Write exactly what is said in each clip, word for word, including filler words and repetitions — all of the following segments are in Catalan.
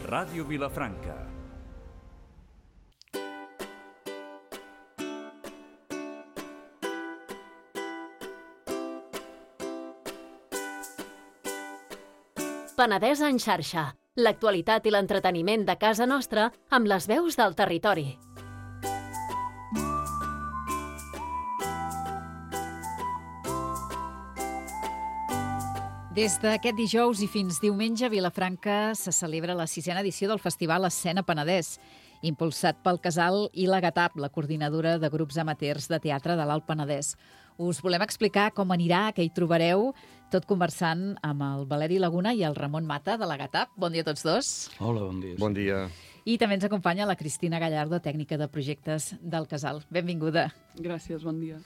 Ràdio Vilafranca. Penedès en xarxa. L'actualitat i l'entreteniment de casa nostra amb les veus del territori. Des d'aquest dijous i fins diumenge a Vilafranca se celebra la sisena edició del Festival Escena Penedès, impulsat pel Casal i la GATAP, la coordinadora de grups amateurs de teatre de l'Alt Penedès. Us volem explicar com anirà, què hi trobareu, tot conversant amb el Valeri Laguna i el Ramon Mata de la GATAP. Bon dia a tots dos. Hola, bon dia. Bon dia. I també ens acompanya la Cristina Gallardo, tècnica de projectes del Casal. Benvinguda. Gràcies, bon dia.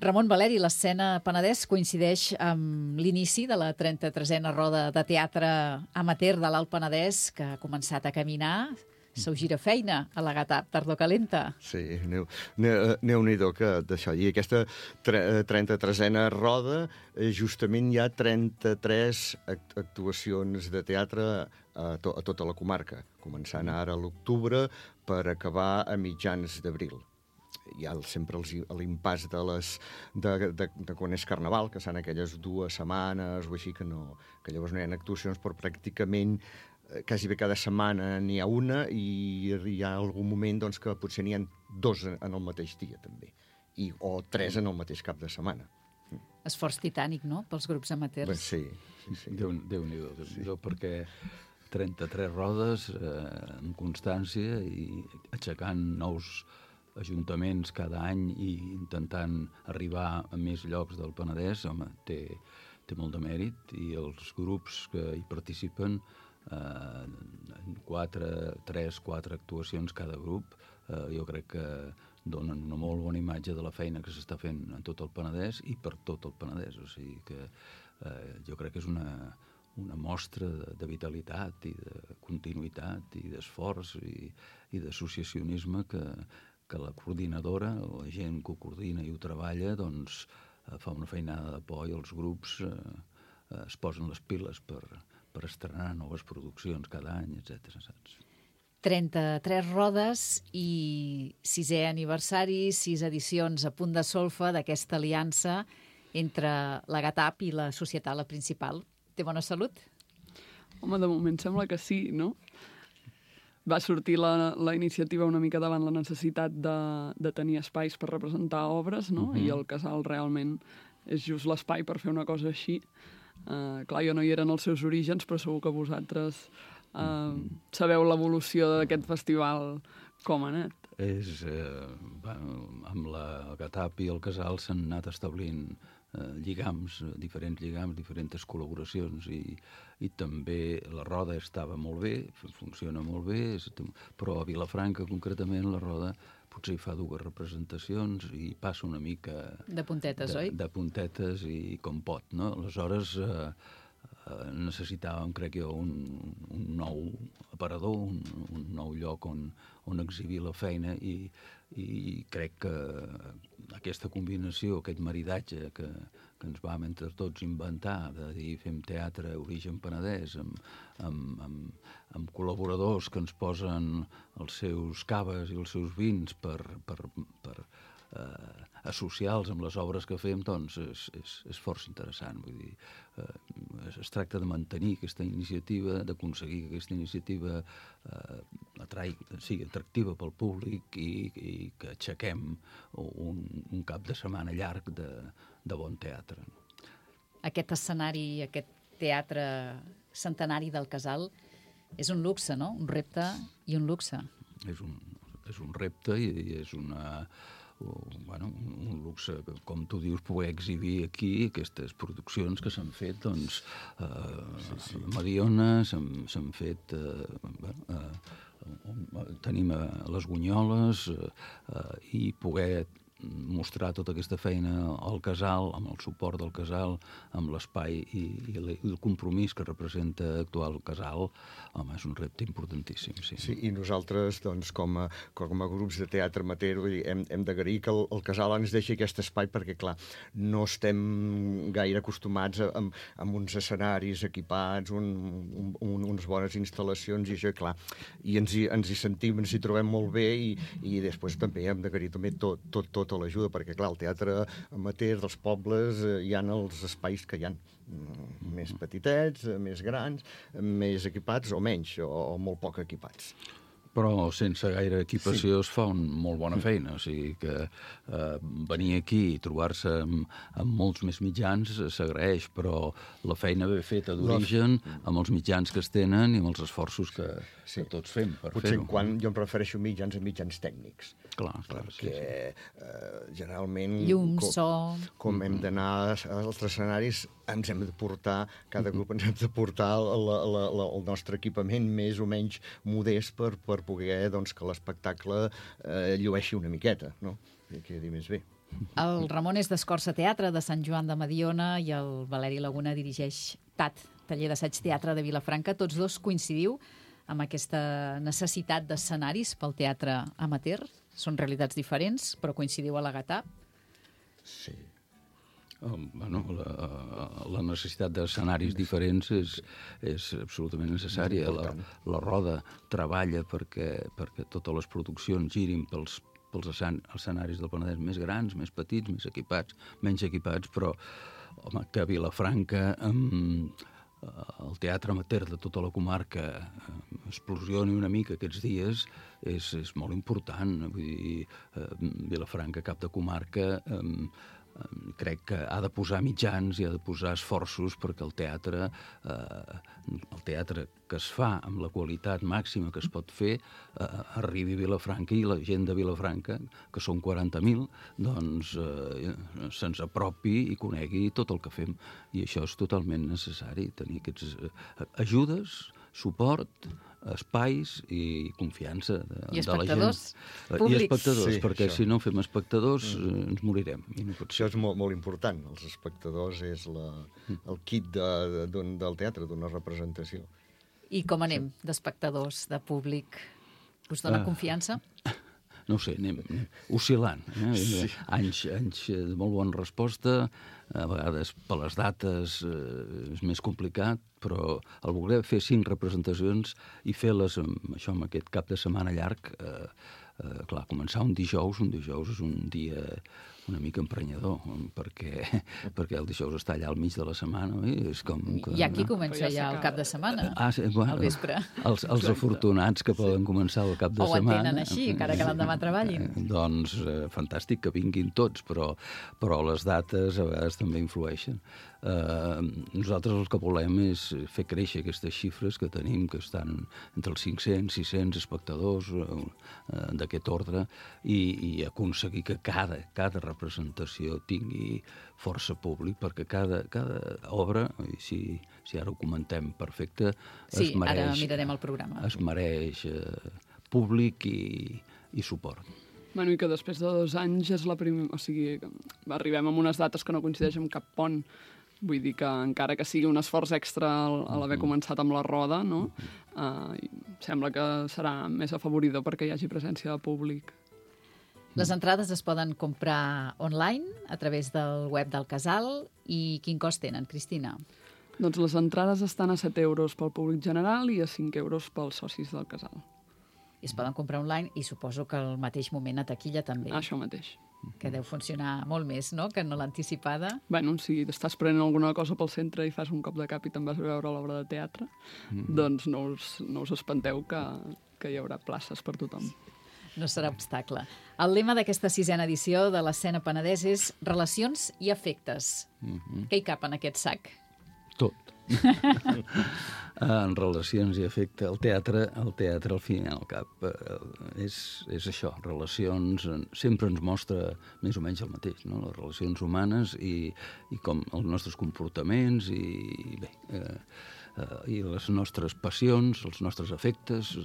Ramon, Valeri, l'Escena Penedès coincideix amb l'inici de la trenta-tresena roda de teatre amateur de l'Alt Penedès, que ha començat a caminar. Sou girafeina a la GATAP, tardor calenta. Sí, Déu-n'hi-do que d'això. I aquesta trenta-tresena roda, justament hi ha trenta-tres actuacions de teatre a, to a tota la comarca, començant ara a l'octubre per acabar a mitjans d'abril. Hi ha sempre l'impàs de, les, de, de, de quan és Carnaval, que són aquelles dues setmanes o així, que, no, que llavors no hi ha actuacions, però pràcticament quasi bé cada setmana n'hi ha una i hi ha algun moment doncs, que potser n'hi ha dos en el mateix dia, també, I, o tres en el mateix cap de setmana. Esforç titànic, no?, pels grups amateurs. Bé, sí, sí, sí. Déu-n'hi-do, Déu Déu sí. Perquè trenta-tres rodes eh, amb constància i aixecant nous ajuntaments cada any i intentant arribar a més llocs del Penedès, home, té, té molt de mèrit, i els grups que hi participen, eh, quatre, tres, quatre actuacions cada grup, eh, jo crec que donen una molt bona imatge de la feina que s'està fent en tot el Penedès i per tot el Penedès, o sigui que eh, jo crec que és una, una mostra de, de vitalitat i de continuïtat i d'esforç i, i d'associacionisme que que la coordinadora, la gent que ho coordina i ho treballa, doncs eh, fa una feinada de por i els grups eh, eh, es posen les piles per, per estrenar noves produccions cada any, etcètera. Saps? trenta-tres rodes i sisè aniversari, sis edicions a punt de solfa d'aquesta aliança entre la GATAP i la societat, la principal. Té bona salut? Home, de moment sembla que sí, no? Va sortir la, la iniciativa una mica davant la necessitat de, de tenir espais per representar obres, no? Uh-huh. I el Casal realment és just l'espai per fer una cosa així. Uh, clar, jo no hi era en els seus orígens, però segur que vosaltres uh, uh-huh. sabeu l'evolució d'aquest festival com ha anat. És, eh, bueno, amb la GATAP i el Casal s'han anat establint eh, lligams, diferents lligams, diferents col·laboracions i, i també la roda estava molt bé, funciona molt bé, però a Vilafranca concretament la roda potser hi fa dues representacions i passa una mica... De puntetes, de, oi? De puntetes i com pot, no? Aleshores eh, eh, necessitàvem, crec jo, un, un nou aparador, un, un nou lloc on, on exhibir la feina i, i crec que aquesta combinació, aquest maridatge que, que ens vam entre tots inventar, de dir fem teatre origen penedès amb, amb, amb, amb col·laboradors que ens posen els seus caves i els seus vins per, per, per eh, associar-los amb les obres que fem, doncs és, és, és força interessant. Vull dir, eh, es tracta de mantenir aquesta iniciativa, d'aconseguir que aquesta iniciativa eh, atrai, sigui atractiva pel públic i, i que aixequem un, un cap de setmana llarg de, de bon teatre. Aquest escenari, aquest teatre centenari del Casal és un luxe, no? Un repte i un luxe. És un, és un repte i és una... Bueno, un luxe, com tu dius, poder exhibir aquí aquestes produccions que s'han fet, doncs, eh, sí, sí. a Mediona s'han fet, eh, eh, tenim a les Gunyoles, eh, i poder mostrar tota aquesta feina al casal, amb el suport del casal, amb l'espai i, i el compromís que representa actuar el casal, home, és un repte importantíssim, sí. Sí, i nosaltres, doncs, com a, com a grups de teatre amateur, vull dir, hem, hem d'agrair que el, el casal ens deixi aquest espai perquè, clar, no estem gaire acostumats a, amb, amb uns escenaris equipats, un, un, un, unes bones instal·lacions i això, clar, i ens hi, ens hi sentim, ens hi trobem molt bé i, i després també hem d'agrair també tot, tot, tota l'ajuda, perquè clar, el teatre amateur dels pobles eh, hi ha els espais que hi ha, mm, més petitets, eh, més grans, més equipats o menys, o, o molt poc equipats. Però sense gaire equipació sí. es fa una molt bona feina, o sigui que eh, venir aquí i trobar-se amb, amb molts més mitjans s'agraeix, però la feina ben feta d'origen, amb els mitjans que es tenen i amb els esforços que, sí. que tots fem per fer-ho. Potser quan jo em refereixo a mitjans a mitjans tècnics. Clar, clar, perquè sí, sí. Eh, generalment... Llum, com, so... Com hem d'anar als escenaris, ens hem de portar, cada grup ens hem de portar la, la, la, el nostre equipament més o menys modest per, per poder doncs, que l'espectacle eh, llueixi una miqueta, no? Que quedi més bé. El Ramon és d'Escorça Teatre, de Sant Joan de Mediona, i el Valeri Laguna dirigeix T A T, Taller d'Assaig Teatre de Vilafranca. Tots dos coincidiu amb aquesta necessitat d'escenaris pel teatre amateur? Són realitats diferents, però coincidiu a la Gatap? Sí. Um, bueno, la, la necessitat d'escenaris diferents és, és absolutament necessària. La, la Roda treballa perquè, perquè totes les produccions girin pels, pels escenaris del Penedès més grans, més petits, més equipats, menys equipats, però home, que a Vilafranca um, el teatre amateur de tota la comarca explosioni una mica aquests dies és, és molt important. Vull dir, eh, Vilafranca, cap de comarca, eh, crec que ha de posar mitjans i ha de posar esforços perquè el teatre, eh, el teatre que es fa amb la qualitat màxima que es pot fer, eh, arribi a Vilafranca i la gent de Vilafranca, que són quaranta mil, doncs eh, se'ns apropi i conegui tot el que fem. I això és totalment necessari, tenir aquestes eh, ajudes, suport, espais i confiança de, I de la gent. I I espectadors, sí, perquè això. Si no fem espectadors mm. ens morirem. I no pot ser. Això és molt, molt important. Els espectadors és la, el kit de, de, del teatre, d'una representació. I com anem sí. d'espectadors, de públic? Us dona Ah. confiança? No ho sé, anem, anem oscil·lant. Eh? Sí. Anys, anys de molt bona resposta, a vegades per les dates eh, és més complicat, però el voler fer cinc representacions i fer-les amb, això, amb aquest cap de setmana llarg, eh, eh, clar, començar un dijous, un dijous és un dia una mica emprenyador, perquè, perquè el dijous està allà al mig de la setmana. Oi? És com que, I aquí no? comença ja el cap de setmana, ah, sí, bueno, al vespre. Els, els afortunats que poden començar el cap de o setmana. O entenen així, encara que l'endemà treballin. Eh, doncs eh, fantàstic que vinguin tots, però, però les dates a vegades també influeixen. Eh, nosaltres el que volem és fer créixer aquestes xifres que tenim, que estan entre els cinc-cents, sis-cents espectadors eh, d'aquest ordre, i, i aconseguir que cada, cada representació tingui força públic, perquè cada, cada obra, i si, si ara ho comentem perfecte, sí, es mereix, ara mirarem el programa. Es mereix eh, públic i, i suport. Bueno, i que després de dos anys és la primera... O sigui, arribem amb unes dates que no coincideixen amb cap pont. Vull dir que encara que sigui un esforç extra a l'haver començat amb la Roda, no? Uh, sembla que serà més afavoridor perquè hi hagi presència de públic. Les entrades es poden comprar online a través del web del casal. I quin cost tenen, Cristina? Doncs les entrades estan a set euros pel públic general i a cinc euros pels socis del casal. I es poden comprar online i suposo que al mateix moment a taquilla també. Això mateix. Que deu funcionar molt més, no?, que no l'anticipada. Bueno, si estàs prenent alguna cosa pel centre i fas un cop de cap i te'n vas a veure l'obra de teatre, mm. doncs no us, no us espanteu que, que hi haurà places per tothom. No serà obstacle. El lema d'aquesta sisena edició de l'Escena Penedès és relacions i afectes. Mm-hmm. Què hi cap en aquest sac? Tot. En relacions i afecte, el teatre, el teatre al fin i al cap eh, és, és això, relacions, sempre ens mostra més o menys el mateix, no? Les relacions humanes i, i com els nostres comportaments i bé, eh, eh, i les nostres passions, els nostres afectes,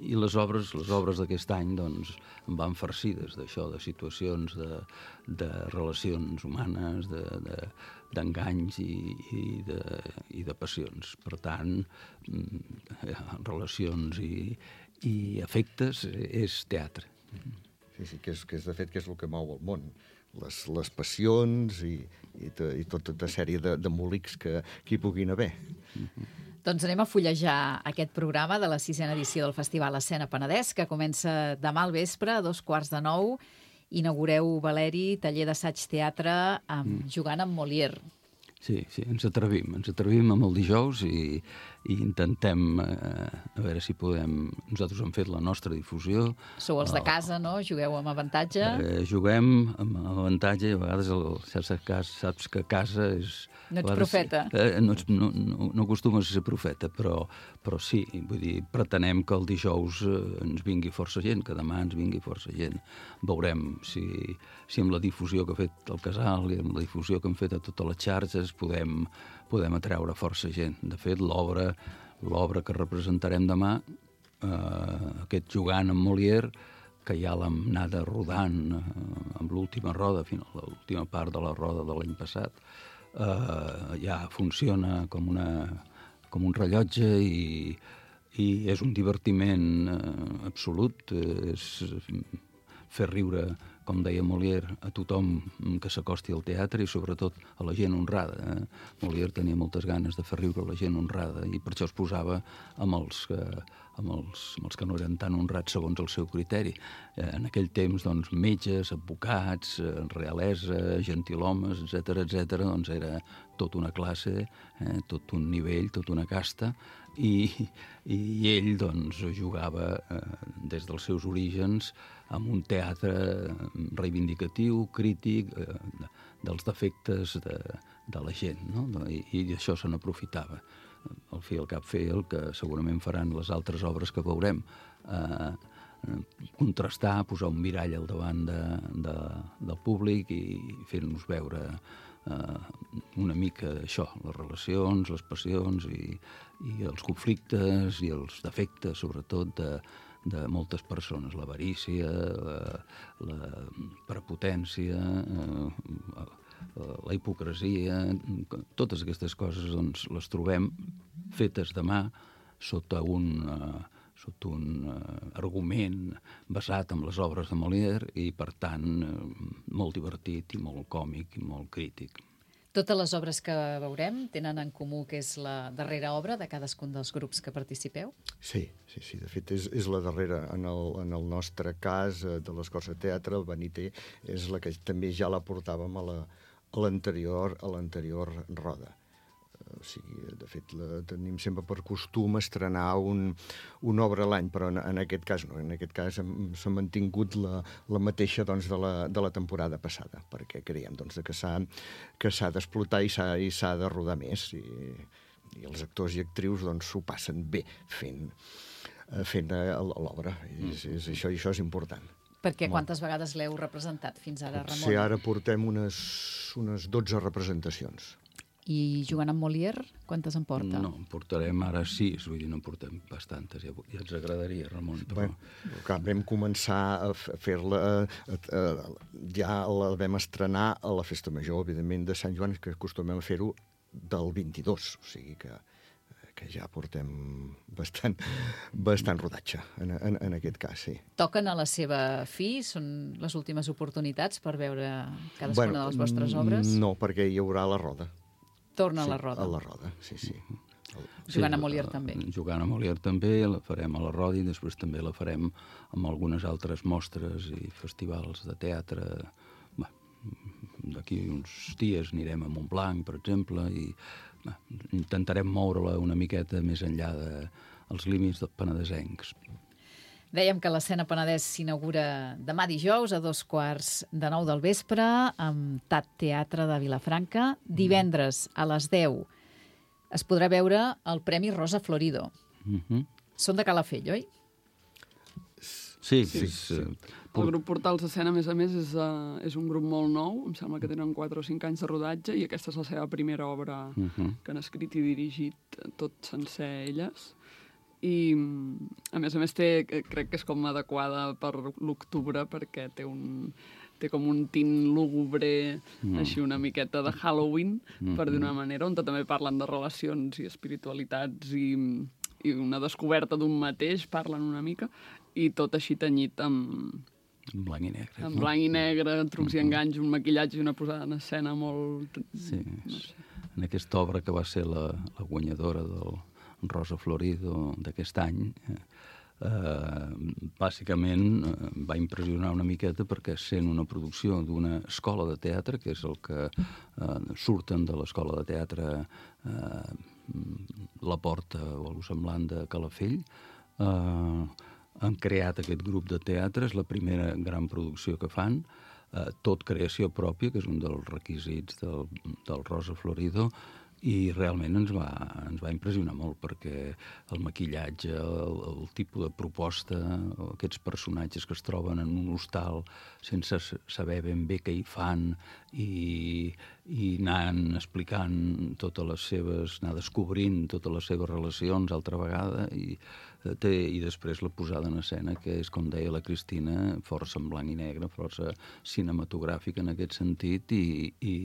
I les obres les obres d'aquest any doncs, van farcides d'això, de situacions, de, de relacions humanes, de, de, d'enganys i, i, de, i de passions. Per tant, relacions i, i afectes és teatre. Sí, sí, que és, que és de fet que és el que mou el món. Les, les passions i, i, to, i tota sèrie de, de molics que, que hi puguin haver. Mm-hmm. Doncs anem a fullejar aquest programa de la sisena edició del Festival Escena Penedès, que comença demà al vespre, a dos quarts de nou. Inaugureu, Valeri, taller d'assaig teatre amb, mm. jugant amb Molière. Sí, sí, ens atrevim. Ens atrevim amb el dijous i, i intentem, eh, a veure si podem... Nosaltres hem fet la nostra difusió. Sou els de casa, no? Jugueu amb avantatge. Eh, juguem amb avantatge i a vegades el, saps, saps que a casa és... No ets vegades, profeta. Eh, no, ets, no, no, no acostumes a ser profeta, però, però sí, vull dir, pretenem que el dijous eh, ens vingui força gent, que demà ens vingui força gent. Veurem si, si amb la difusió que ha fet el Casal i amb la difusió que hem fet a totes les xarxes podem, podem atreure força gent. De fet, l'obra l'obra que representarem demà, eh, aquest Jugant amb Molière, que ja l'hem anada rodant eh, amb l'última roda, fins a l'última part de la roda de l'any passat, eh, ja funciona com, una, com un rellotge i, i és un divertiment eh, absolut. Eh, és fer riure, com deia Molière, a tothom que s'acosti al teatre i sobretot a la gent honrada. Eh? Molière tenia moltes ganes de fer riure a la gent honrada i per això es posava amb els que, amb els, amb els que no eren tan honrats segons el seu criteri. Eh, en aquell temps, doncs, metges, advocats, realesa, gentilhomes, etcètera, etcètera, doncs era tota una classe, eh, tot un nivell, tota una casta, i, i ell doncs, jugava eh, des dels seus orígens amb un teatre reivindicatiu, crític, eh, dels defectes de, de la gent, no? I, i d'això se n'aprofitava. Al fi i al cap fer el que segurament faran les altres obres que veurem, eh, contrastar, posar un mirall al davant de, de, del públic i fer-nos veure eh, una mica això, les relacions, les passions i, i els conflictes i els defectes, sobretot, de, de moltes persones, l'avarícia, la, la prepotència, eh, la hipocresia, totes aquestes coses doncs, les trobem fetes de mà sota un, uh, sota un uh, argument basat en les obres de Molière i, per tant, uh, molt divertit i molt còmic i molt crític. Totes les obres que veurem tenen en comú que és la darrera obra de cadascun dels grups que participeu? Sí, sí, sí. De fet, és, és la darrera. En el, en el nostre cas, de l'Escorça Teatre, el Beniter, és la que també ja la portàvem a la, a l'anterior a l'anterior roda. O sigui, de fet, la, tenim sempre per costum estrenar un, una obra a l'any, però en, en aquest cas no. En aquest cas s'ha mantingut la, la mateixa doncs, de, la, de la temporada passada, perquè creiem doncs, que s'ha que s'ha d'explotar i s'ha i s'ha de rodar més. I, i els actors i actrius doncs, s'ho passen bé fent, fent l'obra. I, és, és, això, això és important. Perquè quantes vegades l'heu representat fins ara, Ramon? Sí, ara portem unes, unes dotze representacions. I jugant amb Molière, quantes en porta? No, en portarem ara sis, vull dir, no en portem bastantes, ja, ja ens agradaria, Ramon. Però... Bé, clar, vam començar a fer-la, ja la vam estrenar a la Festa Major, evidentment, de Sant Joan, que acostumem a fer-ho del vint-i-dos, o sigui que, que ja portem bastant, bastant rodatge en, en, en aquest cas, sí. Toquen a la seva fi? Són les últimes oportunitats per veure cadascuna bueno, de les vostres obres? No, perquè hi haurà la roda. Torna sí, a la roda. A la roda, sí, sí. Jugant sí, a Molière també. Jugant a Molière també, la farem a la roda i després també la farem amb algunes altres mostres i festivals de teatre. Bé, d'aquí uns dies anirem a Montblanc, per exemple, i bé, intentarem moure-la una miqueta més enllà dels límits dels penedesencs. Dèiem que l'Escena Penedès s'inaugura demà dijous a dos quarts de nou del vespre amb Tat Teatre de Vilafranca. Divendres a les deu es podrà veure el Premi Rosa Florido. Uh-huh. Són de Calafell, oi? Sí, sí, és, sí. El grup Portals Escena, a més a més, és, uh, és un grup molt nou. Em sembla que tenen quatre o cinc anys de rodatge i aquesta és la seva primera obra uh-huh. que han escrit i dirigit tot sencer elles. I, a més a més, té, crec que és com adequada per l'octubre, perquè té un... té com un tint lúgubre, mm. així una miqueta de Halloween, mm. per dir una manera, on també parlen de relacions i espiritualitats i, i una descoberta d'un mateix, parlen una mica, i tot així tenyit amb... En blanc i negre. En blanc i negre, trucs mm-hmm. i enganys, un maquillatge i una posada en escena molt... Sí, no sé. En aquesta obra que va ser la, la guanyadora del Rosa Florido d'aquest any, eh, Uh, bàsicament uh, va impressionar una miqueta perquè sent una producció d'una escola de teatre, que és el que uh, surten de l'escola de teatre uh, La Porta o algo semblant de Calafell, uh, han creat aquest grup de teatre, és la primera gran producció que fan, uh, tot creació pròpia, que és un dels requisits del, del Rosa Florido, i realment ens va, ens va impressionar molt perquè el maquillatge, el, el tipus de proposta, aquests personatges que es troben en un hostal sense saber ben bé què hi fan i, i anant explicant totes les seves, anar descobrint totes les seves relacions altra vegada i, té, i després la posada en escena, que és, com deia la Cristina, força en blanc i negre, força cinematogràfica en aquest sentit i, i,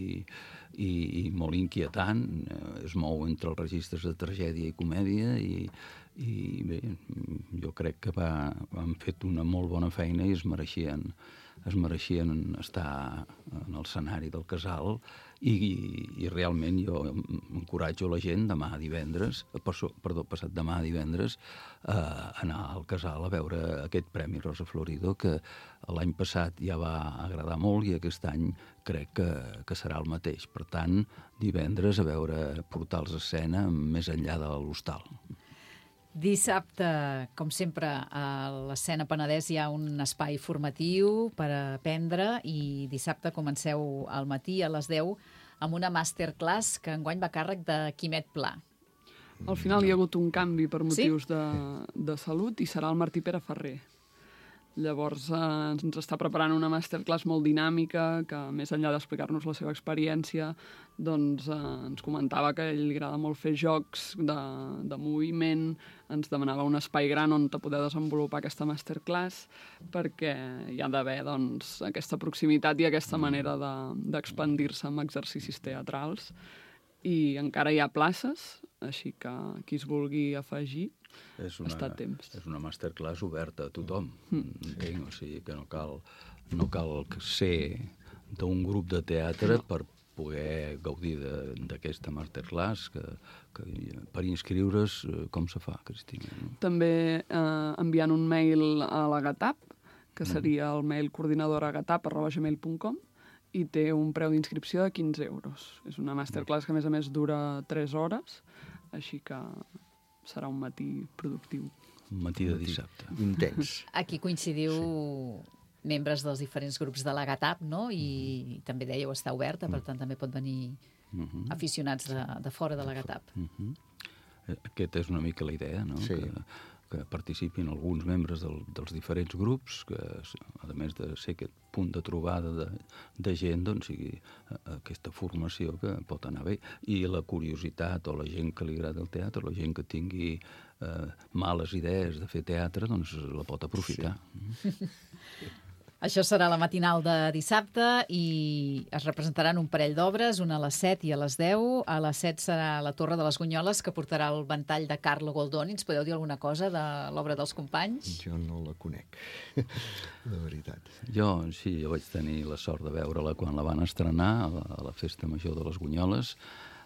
i, i molt inquietant. Es mou entre els registres de tragèdia i comèdia i, i bé, jo crec que va, han fet una molt bona feina i es mereixien, es mereixien estar en el escenari del Casal i, i, i realment jo encoratjo la gent demà divendres, perdó, passat demà divendres, a anar al Casal a veure aquest Premi Rosa Florido, que l'any passat ja va agradar molt i aquest any crec que, que serà el mateix. Per tant, divendres a veure Portals a escena més enllà de l'hostal. Dissabte, com sempre, a l'Escena Penedès hi ha un espai formatiu per aprendre i dissabte comenceu al matí a les deu amb una masterclass que enguany va a càrrec de Quimet Pla. Al final hi ha hagut un canvi per motius sí? de, de salut i serà el Martí Pere Ferrer. Llavors eh, ens està preparant una masterclass molt dinàmica que, més enllà d'explicar-nos la seva experiència, doncs eh, ens comentava que a ell li agrada molt fer jocs de, de moviment, ens demanava un espai gran on poder desenvolupar aquesta masterclass perquè hi ha d'haver doncs, aquesta proximitat i aquesta manera de, d'expandir-se amb exercicis teatrals. I encara hi ha places, així que qui es vulgui afegir és una, està a temps. És una masterclass oberta a tothom, mm. entenc, o sigui que no cal, no cal ser d'un grup de teatre per poder gaudir d'aquesta masterclass, que, que per inscriure's, com se fa, Cristina? No? També eh, enviant un mail a la GATAP, que seria el mail coordinadora gatap arroba gmail punt com, i té un preu d'inscripció de quinze euros. És una masterclass que, a més a més, dura tres hores, així que serà un matí productiu. Un matí de dissabte. Intens. Aquí coincidiu sí. membres dels diferents grups de la GATAP, no? I mm-hmm. també dèieu està oberta, per tant també pot venir mm-hmm. aficionats de, de fora de la GATAP. Mm-hmm. Aquesta és una mica la idea, no? Sí. Que, que participin alguns membres del, dels diferents grups, que a més de ser aquest punt de trobada de, de gent, doncs sigui aquesta formació que pot anar bé. I la curiositat, o la gent que li agrada el teatre, la gent que tingui eh, males idees de fer teatre, doncs la pot aprofitar. Sí. Això serà la matinal de dissabte i es representaran un parell d'obres, una a les set i a les deu. A les set serà La Torre de les Gunyoles, que portarà el ventall de Carlo Goldoni. Ens podeu dir alguna cosa de l'obra dels companys? Jo no la conec, de veritat. Jo, sí, jo vaig tenir la sort de veure-la quan la van estrenar a la, a la Festa Major de les Gunyoles.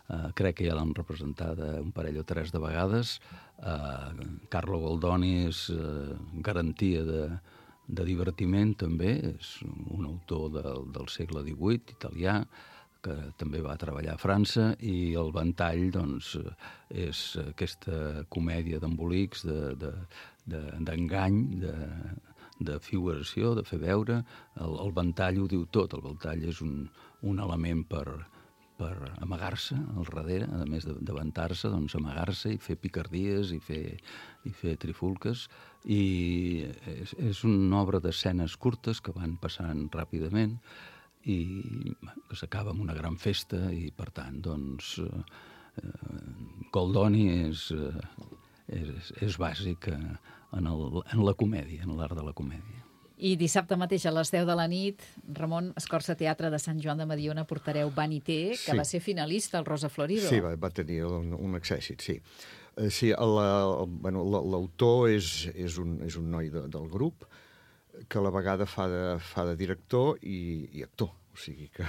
Uh, crec que ja l'han representada un parell o tres de vegades. Uh, Carlo Goldoni és uh, garantia de de divertiment també, és un autor del, del segle divuit, italià, que també va treballar a França, i el ventall, doncs, és aquesta comèdia d'embolics, d'engany, de, de, de, de figuració, de fer veure. El, el ventall ho diu tot, el ventall és un, un element per, per amagar-se al darrere, a més de, de vantar-se, doncs amagar-se i fer picardies i fer, i fer trifulques. I és, és una obra d'escenes curtes que van passant ràpidament i que s'acaba amb una gran festa i, per tant, doncs, eh, Goldoni és, eh, és, és bàsic en, el, en la comèdia, en l'art de la comèdia. I dissabte mateix a les deu de la nit, Ramon, Escorça Teatre de Sant Joan de Mediona portareu Vanité, que sí. va ser finalista al Rosa Florido. Sí, va, va tenir un, un accèssit, sí. Uh, sí, l'autor bueno, és, és, un, és un noi de, del grup que a la vegada fa de, fa de director i, i actor. O sigui que,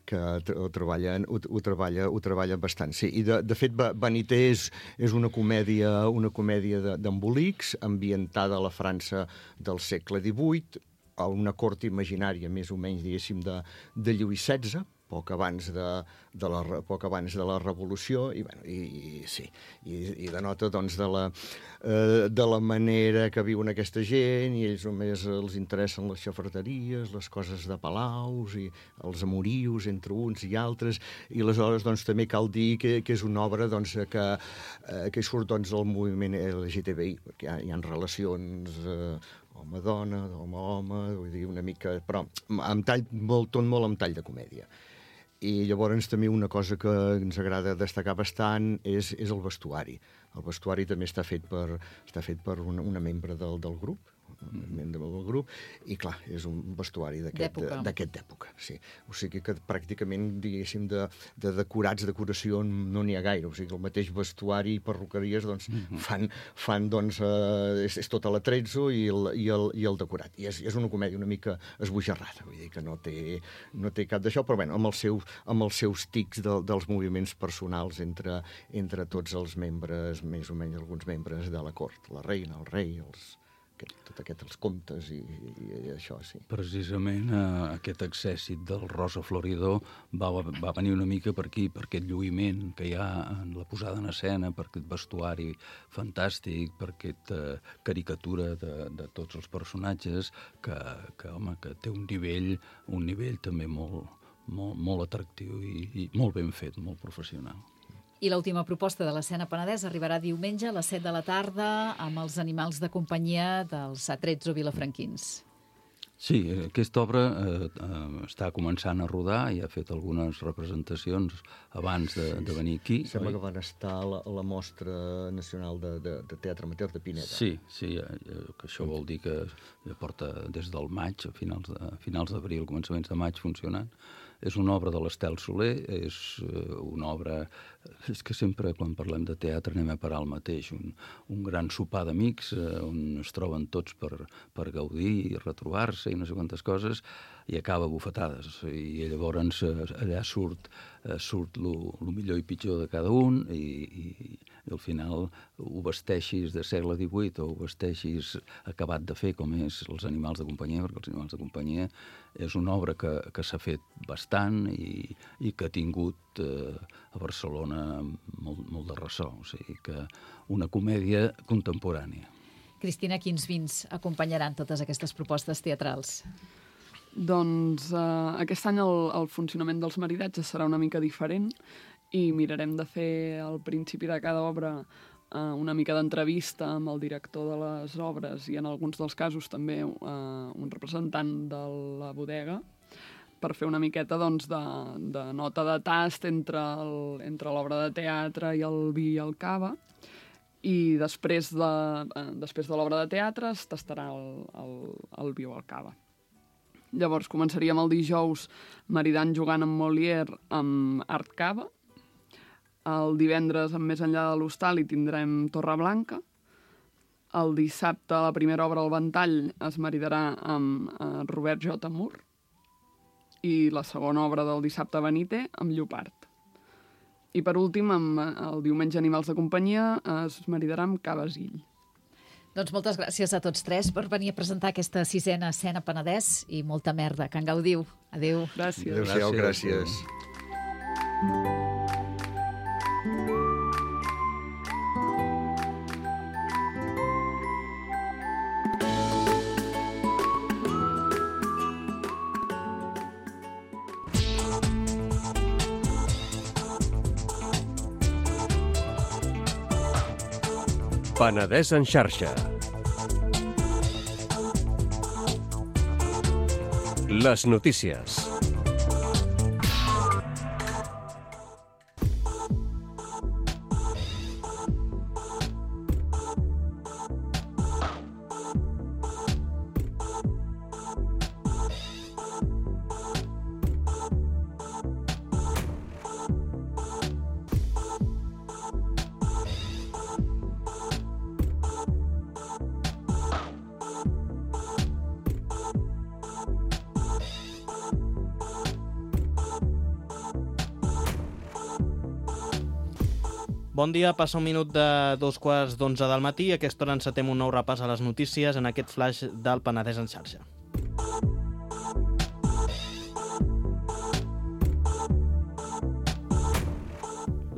que ho, treballen, ho, ho, treballa, ho treballa bastant. Sí, i de, de fet, Vanité és, és una comèdia, una comèdia d'embolics ambientada a la França del segle divuit, a una cort imaginària, més o menys, diguéssim, de, de Lluís setze, poc abans de, de, la, poc abans de la Revolució, i, bueno, i, i sí, i, i denota doncs, de, la, eh, de la manera que viuen aquesta gent, i ells només els interessen les xafarderies, les coses de palaus, i els amorius entre uns i altres, i aleshores doncs, també cal dir que, que és una obra doncs, que, eh, que surt doncs, del moviment L G T B I, perquè hi ha, hi ha relacions... Eh, home-dona, home-home, vull dir, una mica... Però amb tall, molt, tot molt amb tall de comèdia. I llavors també una cosa que ens agrada destacar bastant és, és el vestuari. El vestuari també està fet per, està fet per una, una membre del, del grup, un membre del grup, i clar, és un vestuari d'aquest època. Sí. O sigui que pràcticament, diguéssim, de, de decorats, decoració no n'hi ha gaire. O sigui, el mateix vestuari i perruqueries doncs, mm-hmm. fan, fan doncs, eh, és, és tota la trezzo i el, i el, i el decorat. I és, és una comèdia una mica esbojarrada, vull dir que no té, no té cap d'això, però bueno, amb, el seu, amb els seus tics de, dels moviments personals entre, entre tots els membres, més o menys alguns membres de la cort, la reina, el rei, els... tot aquest, els comtes i, i, i això, sí. Precisament eh, aquest accèssit del Rosa Florido va, va venir una mica per aquí, per aquest lluïment que hi ha en la posada en escena, per aquest vestuari fantàstic, per aquesta caricatura de, de tots els personatges que, que, home, que té un nivell, un nivell també molt, molt, molt atractiu i, i molt ben fet, molt professional. I l'última proposta de l'Escena Penedès arribarà diumenge a les set de la tarda amb els animals de companyia dels Atrezzo vilafranquins. Sí, aquesta obra eh, eh, està començant a rodar i ha fet algunes representacions abans de, de venir aquí. Sembla oi? Que van estar a la, a la Mostra Nacional de, de, de Teatre Amateur de Pineda. Sí, sí, eh, que això vol dir que ja porta des del maig, a finals de, finals d'abril, començaments de maig funcionant. És una obra de l'Estel Soler, és una obra... És que sempre, quan parlem de teatre, anem a parar el mateix. Un, un gran sopar d'amics, on es troben tots per, per gaudir i retrobar-se i no sé quantes coses, i acaba bufetades. I llavors allà surt, surt lo, lo millor i pitjor de cada un, i, i, i al final ho vesteixis de segle divuit o ho vesteixis acabat de fer, com és Els animals de companyia, perquè Els animals de companyia és una obra que, que s'ha fet bastant i, i que ha tingut eh, a Barcelona molt, molt de ressò. O sigui que una comèdia contemporània. Cristina, quins vins acompanyaran totes aquestes propostes teatrals? Doncs eh, aquest any el, el funcionament dels maridatges serà una mica diferent i mirarem de fer al principi de cada obra Uh, una mica d'entrevista amb el director de les obres i en alguns dels casos també uh, un representant de la bodega per fer una miqueta doncs, de, de nota de tast entre el, entre l'obra de teatre i el vi i el cava, i després de, uh, després de l'obra de teatre es tastarà el, el, el vi o el cava. Llavors començaríem el dijous maridant jugant amb Molière amb Art Cava. El divendres, amb Més enllà de l'hostal, hi tindrem Torreblanca. El dissabte, la primera obra, El ventall, es maridarà amb eh, Robert J. Moore. I la segona obra del dissabte, Vanité, amb Llopart. I per últim, amb el diumenge Animals de companyia, es maridarà amb Cabasill. Doncs moltes gràcies a tots tres per venir a presentar aquesta sisena Escena Penedès i molta merda. Que en gaudiu. Adéu. Gràcies. Adéu-siau, gràcies. Penedès en xarxa. Les notícies. Bon dia, passa un minut de dos quarts d'onze del matí. A aquesta hora encetem un nou repàs a les notícies en aquest flash del Penedès en xarxa.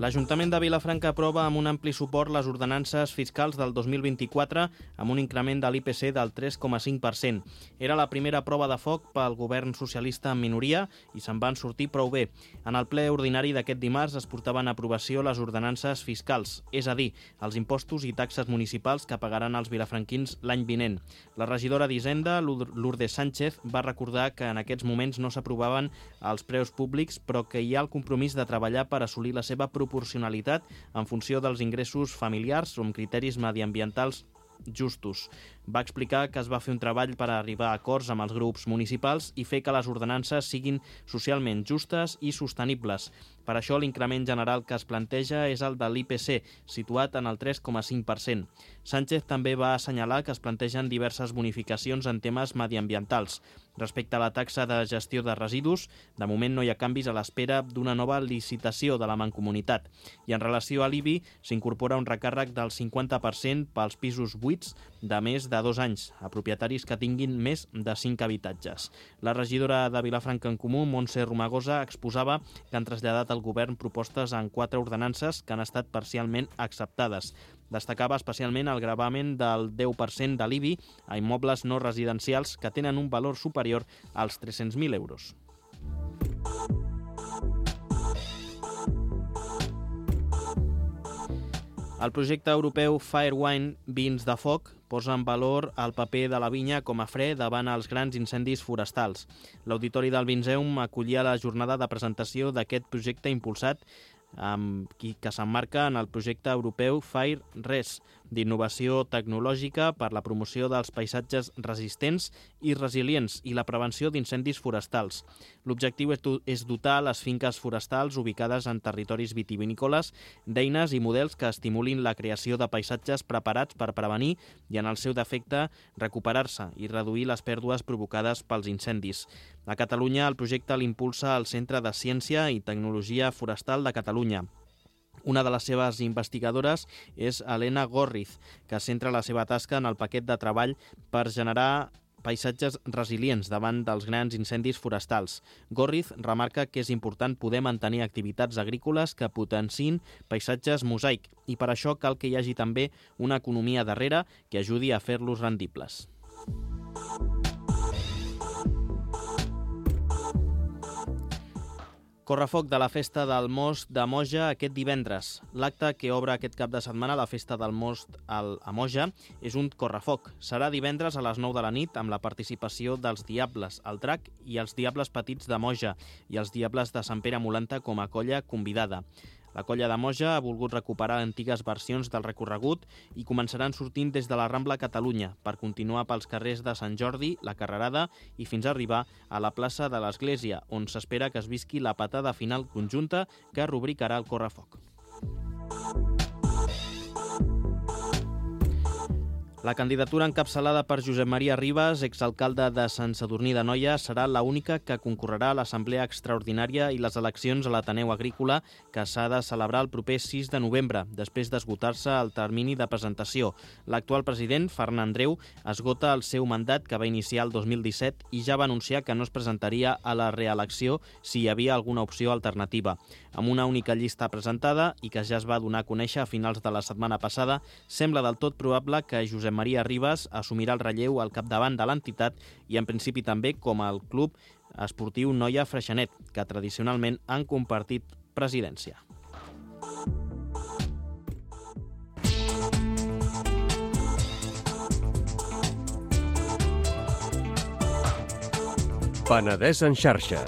L'Ajuntament de Vilafranca aprova amb un ampli suport les ordenances fiscals del dos mil vint-i-quatre amb un increment de l'I P C del tres coma cinc per cent. Era la primera prova de foc pel govern socialista en minoria i se'n van sortir prou bé. En el ple ordinari d'aquest dimarts es portaven a aprovació les ordenances fiscals, és a dir, els impostos i taxes municipals que pagaran els vilafranquins l'any vinent. La regidora d'Hisenda, Lourdes Sánchez, va recordar que en aquests moments no s'aprovaven els preus públics, però que hi ha el compromís de treballar per assolir la seva proporcionalitat proporcionalitat en funció dels ingressos familiars o amb criteris mediambientals justos. Va explicar que es va fer un treball per arribar a acords amb els grups municipals i fer que les ordenances siguin socialment justes i sostenibles. Per això l'increment general que es planteja és el de l'I P C, situat en el tres coma cinc per cent. Sánchez també va assenyalar que es plantegen diverses bonificacions en temes mediambientals. Respecte a la taxa de gestió de residus, de moment no hi ha canvis a l'espera d'una nova licitació de la Mancomunitat. I en relació a l'I B I, s'incorpora un recàrrec del cinquanta per cent pels pisos buits de més de dos anys, a propietaris que tinguin més de cinc habitatges. La regidora de Vilafranca en Comú, Montse Romagosa, exposava que han traslladat al govern propostes en quatre ordenances que han estat parcialment acceptades. Destacava especialment el gravamen del deu per cent de l'I B I a immobles no residencials que tenen un valor superior als tres-cents mil euros. El projecte europeu Firewine Vins de Foc posa en valor el paper de la vinya com a fre davant els grans incendis forestals. L'Auditori del Vinzeum acollia la jornada de presentació d'aquest projecte impulsat amb qui que s'emmarca en el projecte europeu FireRes, d'innovació tecnològica per la promoció dels paisatges resistents i resilients i la prevenció d'incendis forestals. L'objectiu és dotar les finques forestals ubicades en territoris vitivinícoles d'eines i models que estimulin la creació de paisatges preparats per prevenir i, en el seu defecte, recuperar-se i reduir les pèrdues provocades pels incendis. A Catalunya, el projecte l'impulsa el Centre de Ciència i Tecnologia Forestal de Catalunya. Una de les seves investigadores és Helena Gorriz, que centra la seva tasca en el paquet de treball per generar paisatges resilients davant dels grans incendis forestals. Gorriz remarca que és important poder mantenir activitats agrícoles que potenciïn paisatges mosaic i per això cal que hi hagi també una economia darrere que ajudi a fer-los rendibles. Correfoc de la Festa del Most de Moja aquest divendres. L'acte que obre aquest cap de setmana la Festa del Most a Moja és un correfoc. Serà divendres a les nou de la nit amb la participació dels Diables, el Drac i els Diables Petits de Moja i els Diables de Sant Pere Molanta com a colla convidada. La colla de Moja ha volgut recuperar antigues versions del recorregut i començaran sortint des de la Rambla Catalunya per continuar pels carrers de Sant Jordi, la Carrerada i fins a arribar a la plaça de l'Església, on s'espera que es visqui la patada final conjunta que rubricarà el correfoc. La candidatura encapçalada per Josep Maria Ribas, exalcalde de Sant Sadurní d'Anoia, serà l'única que concorrerà a l'Assemblea Extraordinària i les eleccions a l'Ateneu Agrícola que s'ha de celebrar el proper sis de novembre, després d'esgotar-se el termini de presentació. L'actual president, Ferran Andreu, esgota el seu mandat que va iniciar el dos mil disset i ja va anunciar que no es presentaria a la reelecció si hi havia alguna opció alternativa. Amb una única llista presentada i que ja es va donar a conèixer a finals de la setmana passada, sembla del tot probable que Josep Maria Ribas assumirà el relleu al capdavant de l'entitat i en principi també com el club esportiu Noia Freixenet, que tradicionalment han compartit presidència. Penedès en xarxa.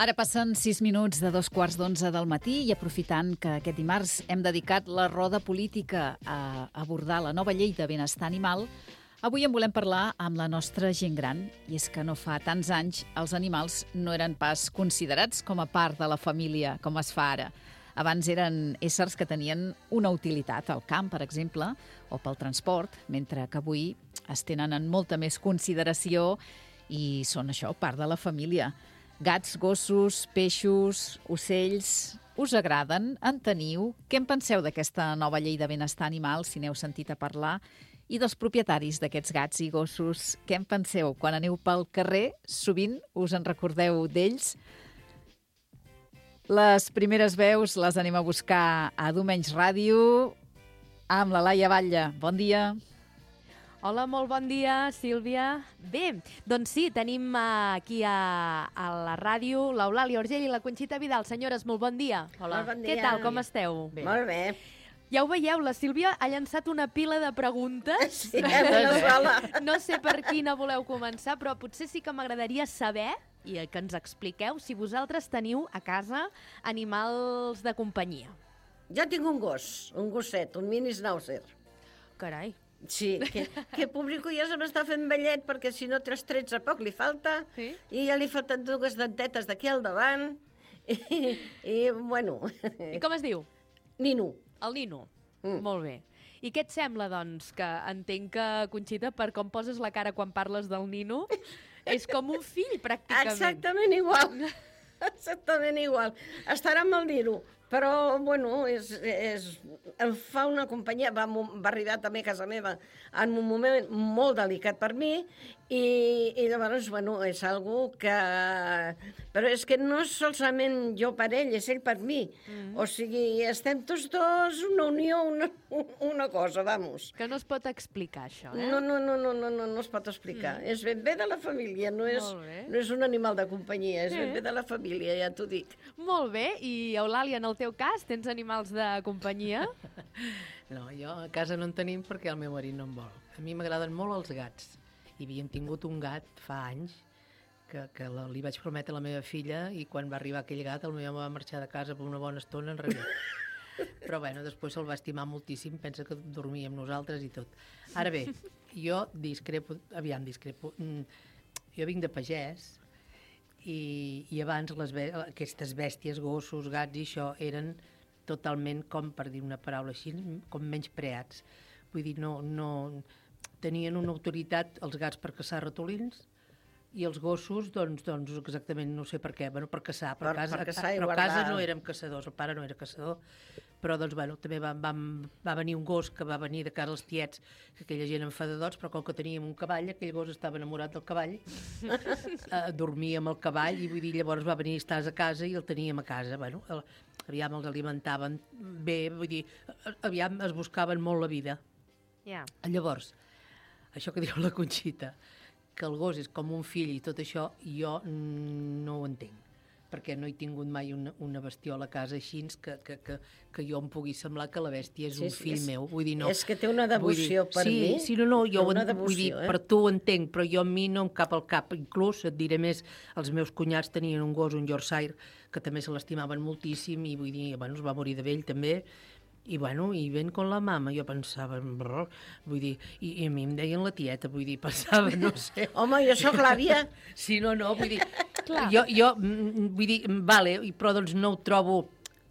Ara passen sis minuts de dos quarts d'onze del matí i aprofitant que aquest dimarts hem dedicat la roda política a abordar la nova llei de benestar animal, Avui en volem parlar amb la nostra gent gran, i és que no fa tants anys els animals no eren pas considerats com a part de la família, com es fa ara. Abans eren éssers que tenien una utilitat al camp, per exemple, o pel transport, mentre que avui es tenen en molta més consideració i són això, part de la família. Gats, gossos, peixos, ocells... Us agraden? En teniu? Què en penseu d'aquesta nova llei de benestar animal, si n'heu sentit a parlar? I dels propietaris d'aquests gats i gossos, què en penseu? Quan aneu pel carrer, sovint us en recordeu d'ells? Les primeres veus les anem a buscar a Domenys Ràdio amb la Laia Batlle. Bon dia. Hola, molt bon dia, Sílvia. Bé, doncs sí, tenim aquí a, a la ràdio l'Eulàlia Orgell i la Conxita Vidal. Senyores, molt bon dia. Hola. Molt bon dia. Què tal, com esteu? Bé. Molt bé. Ja ho veieu, la Sílvia ha llançat una pila de preguntes. Sí, una sola. No sé per quina voleu començar, però potser sí que m'agradaria saber i que ens expliqueu si vosaltres teniu a casa animals de companyia. Jo tinc un gos, un gosset, un mini schnauzer. Carai. Sí, que, que público ja se m'està fent vellet perquè si no tres trets a poc li falta, sí? I ja li falten dues dentetes d'aquí al davant i, i bueno... I com es diu? Nino. El Nino, mm. Molt bé. I què et sembla, doncs, que entenc que, Conxita, per com poses la cara quan parles del Nino, és com un fill, pràcticament. Exactament igual. Exactament igual. Estarà amb el Nino. Però, bueno, és, és, em fa una companyia, va, va arribar també a casa meva en un moment molt delicat per mi i, i llavors, bueno, és algo que... Però és que no és solament jo per ell, és ell per mi. Mm-hmm. O sigui, estem tots dos, una unió, una, una cosa, vamos. Que no es pot explicar, això, eh? No, no, no, no, no, no, no es pot explicar. Mm. És ben bé de la família, no és, no és un animal de companyia, és sí. Ben bé de la família, ja t'ho dic. Molt bé, i Eulàlia, en el teu cas, tens animals de companyia? No, jo a casa no en tenim perquè el meu marit no en vol. A mi m'agraden molt els gats. I havíem tingut un gat fa anys que, que la, li vaig prometre a la meva filla i quan va arribar aquell gat el meu home va marxar de casa per una bona estona enrere. Però bueno, després se'l va estimar moltíssim, pensa que dormia amb nosaltres i tot. Ara bé, jo discrepo, aviam discrepo, jo vinc de pagès i, i abans les, aquestes bèsties, gossos, gats i això eren totalment, com per dir una paraula així, com menyspreats. Vull dir, no, no tenien una autoritat els gats per caçar ratolins i els gossos, doncs, doncs exactament no sé per què, bueno, per caçar, però per, casa, per caçar però a guardar. casa no érem caçadors, el pare no era caçador, però doncs, bueno, també va, va, va venir un gos que va venir de casa als tiets, que aquella gent enfadadors, però com que teníem un cavall, aquell gos estava enamorat del cavall, eh, dormia amb el cavall i vull dir, llavors va venir, estàs a casa i el teníem a casa, bueno, el, aviam els alimentaven bé, vull dir, aviam es buscaven molt la vida. Yeah. Llavors, això que diu la Conxita, que el gos és com un fill i tot això, jo no ho entenc, perquè no he tingut mai una, una bestiola a casa així que, que, que, que jo em pugui semblar que la bèstia és sí, un fill és, meu. Vull dir, no, és que té una devoció dir, per sí, mi. Sí, no, no, jo una en, devoció, vull dir, eh? per tu ho entenc, però jo a mi no em cap al cap. Inclús, et diré més, els meus cunyats tenien un gos, un Yorkshire, que també se l'estimaven moltíssim i vull dir, bueno, es va morir de vell també, i bueno, i ven con la mama, jo pensava, brrr, vull dir, i, i a mi em deien la tieta, vull dir, pensava, no sé. Home, jo sóc l'àvia. Sí, no, no, vull dir, jo, jo, vull dir, vale, però doncs no ho trobo,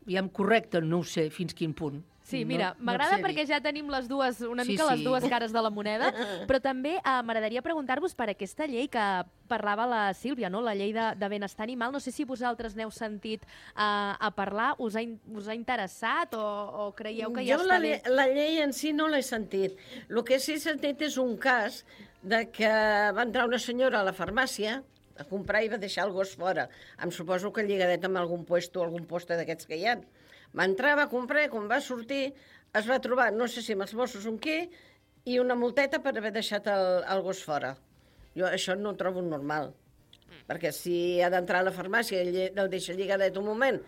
ja correcte, no ho sé fins quin punt. Sí, mira, no, m'agrada no perquè ja tenim les dues, una sí, mica sí. les dues cares de la moneda, però també eh, m'agradaria preguntar-vos per aquesta llei que parlava la Sílvia, no? La llei de, de benestar animal. No sé si vosaltres n'heu sentit eh, a parlar, us ha, us ha interessat o, o creieu que ja jo està la, bé? la llei en si no l'he sentit. El que sí he sentit és un cas de que va entrar una senyora a la farmàcia a comprar i va deixar el gos fora. Em suposo que lligadet amb algun puesto o algun poste d'aquests que hi ha. Va entrar, va comprar, quan va sortir, es va trobar, no sé si amb els Mossos o amb què, i una multeta per haver deixat el, el gos fora. Jo això no ho trobo normal, perquè si ha d'entrar a la farmàcia i el deixa lligadet un moment,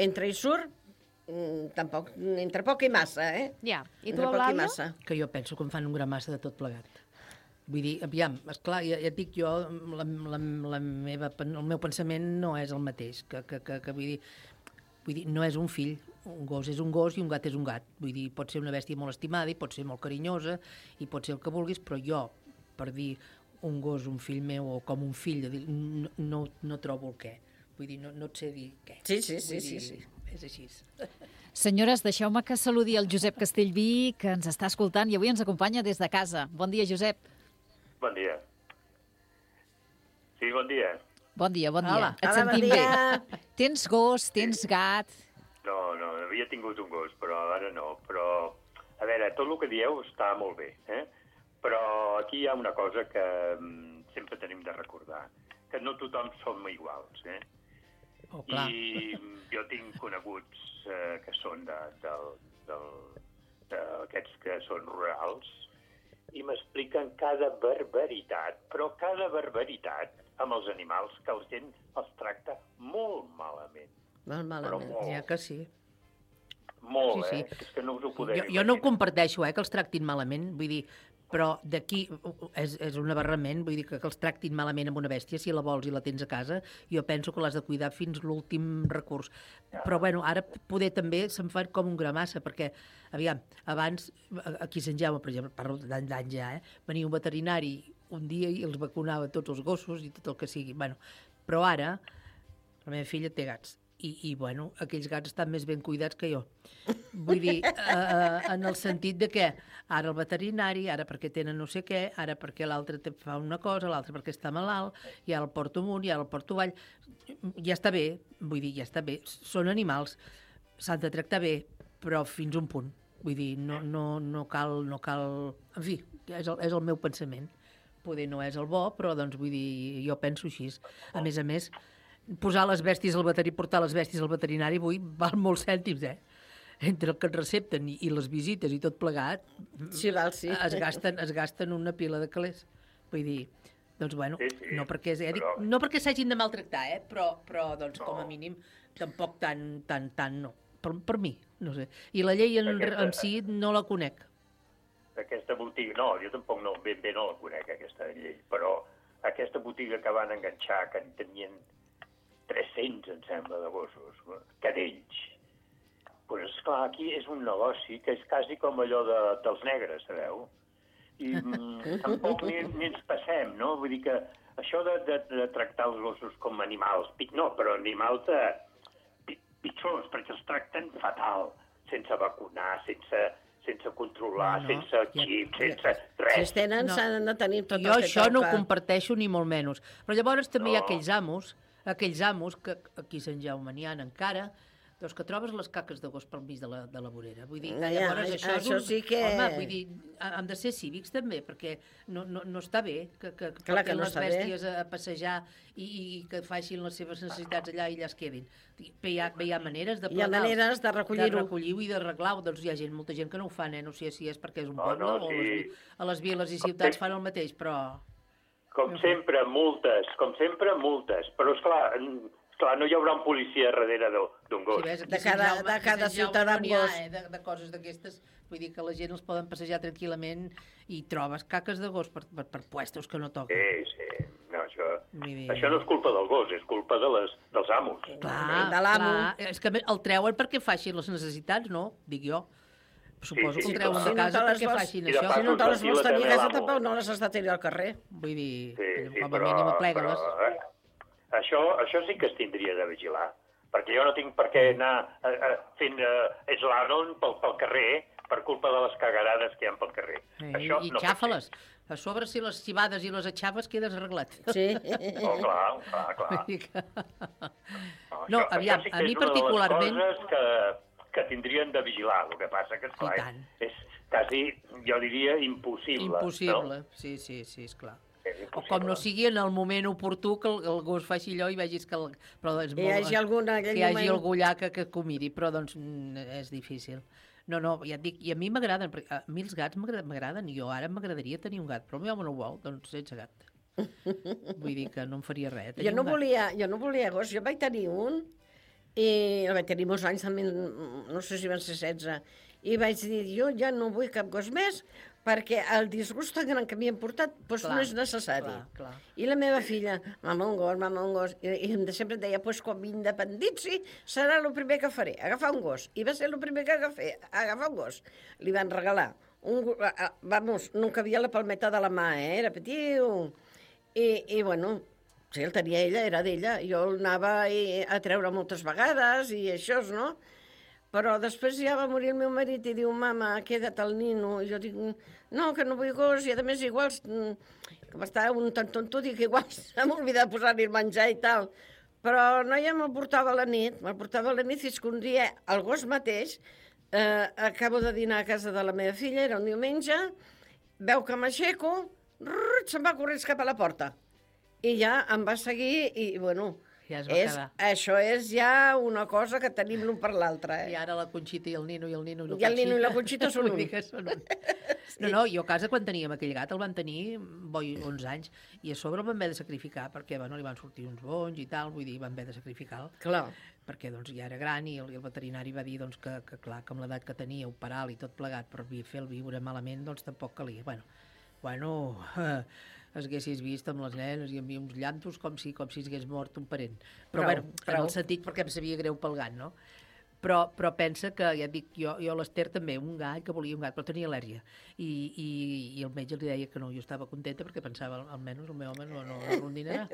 entra i surt, tampoc, entre poc i massa, eh? Ja, i tu, entre poc i Eulàlia? massa. Que jo penso que em fan un gran massa de tot plegat. Vull dir, aviam, esclar, ja, ja et dic jo, la, la, la meva, el meu pensament no és el mateix, que, que, que, que vull dir, vull dir, no és un fill, un gos és un gos i un gat és un gat. Vull dir, pot ser una bèstia molt estimada i pot ser molt carinyosa i pot ser el que vulguis, però jo, per dir un gos, un fill meu, o com un fill, dir, no, no, no trobo el què. Vull dir, no, no et sé dir què. Sí, sí, sí, dir, sí, sí. És així. Senyores, deixeu-me que saludi el Josep Castellví, que ens està escoltant i avui ens acompanya des de casa. Bon dia, Josep. Bon dia. Sí, bon dia. Bon dia, bon dia. Hola. Et Hola, sentim bon bé. dia. Tens gos, tens gat... No, no, havia tingut un gos, però ara no. Però, a veure, tot el que dieu està molt bé, eh? Però aquí hi ha una cosa que mm, sempre tenim de recordar, que no tothom som iguals, eh? Oh, clar. I jo tinc coneguts eh, que són de, de, de, de, aquests que són rurals i m'expliquen cada barbaritat, però cada barbaritat amb els animals que la gent els tracta molt malament. Molt malament. Molt. Ja que sí. Molt, Sí, sí. eh? És que no us ho podeu Jo, jo no ho comparteixo, eh, que els tractin malament, vull dir, però d'aquí és, és un aberrament, vull dir, que, que els tractin malament amb una bèstia, si la vols i la tens a casa, jo penso que l'has de cuidar fins l'últim recurs. Però, bueno, ara poder també se'n fa com un gramassa, perquè, aviam, abans, aquí a Sant Jaume, per exemple, parlo d'any d'any ja, eh, venia un veterinari un dia i els vacunava tots els gossos i tot el que sigui. Bueno, però ara, la meva filla té gats. I, i, bueno, aquells gats estan més ben cuidats que jo. Vull dir, eh, en el sentit de que ara el veterinari, ara perquè tenen no sé què, ara perquè l'altre fa una cosa, l'altre perquè està malalt, i ara el porto amunt, i ara el porto avall. Ja està bé, vull dir, ja està bé. Són animals, s'han de tractar bé, però fins un punt. Vull dir, no, no, no cal... No cal... En fi, és el, és el meu pensament. Poder no és el bo, però, doncs, vull dir, jo penso així. A més a més, posar les bèsties al veterinari, portar les bèsties al veterinari avui val molts cèntims, eh? Entre el que et recepten i, i les visites i tot plegat, sí, val, sí. Es, gasten, es gasten una pila de calés. Vull dir, doncs bueno, sí, sí, no perquè, eh, dic, no perquè s'hagin de maltractar, eh? però, però doncs, no. Com a mínim, tampoc tan, tan, tan no. Per, per mi, no sé. I la llei en, aquesta, en si no la conec. Aquesta botiga, no, jo tampoc no, ben bé no la conec, aquesta llei, però aquesta botiga que van enganxar, que en tenien tres-cents, em sembla, de gossos, cadells. Pues, esclar, aquí és un negoci que és quasi com allò de, dels negres, sabeu? I mm, tampoc ni, ni ens passem, no? Vull dir que això de, de, de tractar els gossos com animals, no, però animals de, pitjors, perquè els tracten fatal, sense vacunar, sense... sense controlar, no, no. sense xip, ja, sense res. Si es tenen, no. S'han de tenir tot jo el que això toca. No ho comparteixo ni molt menys. Però llavors també no. hi ha aquells amos, aquells amos que aquí a Sant Jaume n'hi ha encara, doncs que trobes les caques de gos pel mig de la, de la vorera. Vull dir, ja, llavors ja, això, això és un... sí que... Home, vull dir, han de ser cívics també, perquè no, no, no està bé que, que Clar que portin no les bèsties bé. a passejar i, i que facin les seves necessitats allà i allà es quedin. Bé, hi ha, bé, hi ha maneres de hi ha maneres de recollir-ho. De recollir-ho i d'arreglar-ho. Doncs hi ha gent, molta gent que no ho fan, eh? No sé si és perquè és un no, poble no, o sí. les, a les viles i ciutats fan el mateix, però... Com sempre, multes, com sempre, multes. Però, esclar, clar, no hi haurà un policia darrere d'un gos. Sí, ves, de cada, Jaume, de cada ciutadà amb no gos. Ha, eh, de, de coses d'aquestes, vull dir que la gent els poden passejar tranquil·lament i trobes caques de gos per, per, per puestos que no toquen. Sí, sí. No, això, dir... això no és culpa del gos, és culpa de les, dels amos. Clar, de l'amo. És que el treuen perquè facin les necessitats, no? Dic jo. Suposo sí, sí, que el treuen sí, de casa no perquè vols, facin si això. Si no te les vols tenir a casa, tampoc no les has de tenir al carrer. Vull dir, sí, sí, com a però, mínim aplega-les. Però, eh, això, això sí que es tindria de vigilar, perquè jo no tinc per què anar eh, eh, fent eh, slalom pel, pel carrer per culpa de les cagarades que hi ha pel carrer. Sí, això I no xafa-les. A sobre, si les xivades i les aixaves, quedes arreglat. Sí. Oh, clar, clar, clar. Que... No, no, això, aviam, això sí a mi particularment... És una de les coses que, que tindrien de vigilar. El que passa que, esclar, és, és quasi, jo diria, impossible. Impossible, no? sí, sí, sí, esclar. O com no sigui en el moment oportú que el, el gos faci allò i vegis que... El, però és molt, hi hagi, alguna, que hi hagi moment... algú allà que, que, que ho miri, però doncs és difícil. No, no, ja et dic, i a mi m'agraden, a mi els gats m'agraden, i jo ara m'agradaria tenir un gat, però el meu home no ho vol, doncs sense gat. Vull dir que no em faria res. Jo no, volia, jo no volia gos, jo vaig tenir un, i el vaig tenir molts anys, també, no sé si van ser setze, i vaig dir, jo ja no vull cap gos més, perquè el disgust tan gran que m'hi han portat doncs clar, no és necessari. Clar, clar. I la meva filla, mama un gos, mama un gos, i, i sempre em deia, doncs quan m'independitzi serà el primer que faré, agafar un gos. I va ser el primer que agafé, agafar un gos. Li van regalar un, vamos, no cabia la palmeta de la mà, eh? Era petiu. I, i bueno, sí, el tenia ella, era d'ella. Jo el anava a treure moltes vegades i això, no? Però després ja va morir el meu marit i diu, mama, queda't el nino. I jo dic, no, que no vull gos, i a més igual, com estava un tant tonto, dic, igual s'ha oblidat de posar-li el menjar i tal. Però no, ja me'l portava a la nit, me'l portava a la nit fins que un dia el gos mateix, eh, acabo de dinar a casa de la meva filla, era un diumenge, veu que m'aixeco, se'n va corrents cap a la porta. I ja em va seguir i, bueno, ja es va és, quedar. Això és ja una cosa que tenim l'un per l'altre. Eh? I ara la Conxita i el Nino i el Nino i la I el Nino i la Conxita són un. són un. Sí. No, no, jo a casa quan teníem aquell gat el van tenir boi, onze anys i a sobre el van haver de sacrificar perquè bueno, li van sortir uns bonys i tal, vull dir, van haver de sacrificar-lo. Clar. Perquè doncs, ja era gran i el, i el veterinari va dir doncs, que, que, clar, que amb l'edat que tenia, operar-lo i tot plegat per fer-lo viure malament, doncs tampoc calia. Bueno, bueno eh, es haguessis vist amb les nenes i amb uns llantos com si, com si s'hagués mort un parent. Però, prou, bueno, prou. En el sentit perquè em sabia greu pel gat, no? Però, però pensa que, ja et dic, jo, jo a l'Ester també, un gat, que volia un gat, però tenia al·lèrgia. I, i, i el metge li deia que no, jo estava contenta perquè pensava, almenys el meu home no, no, no rondinarà.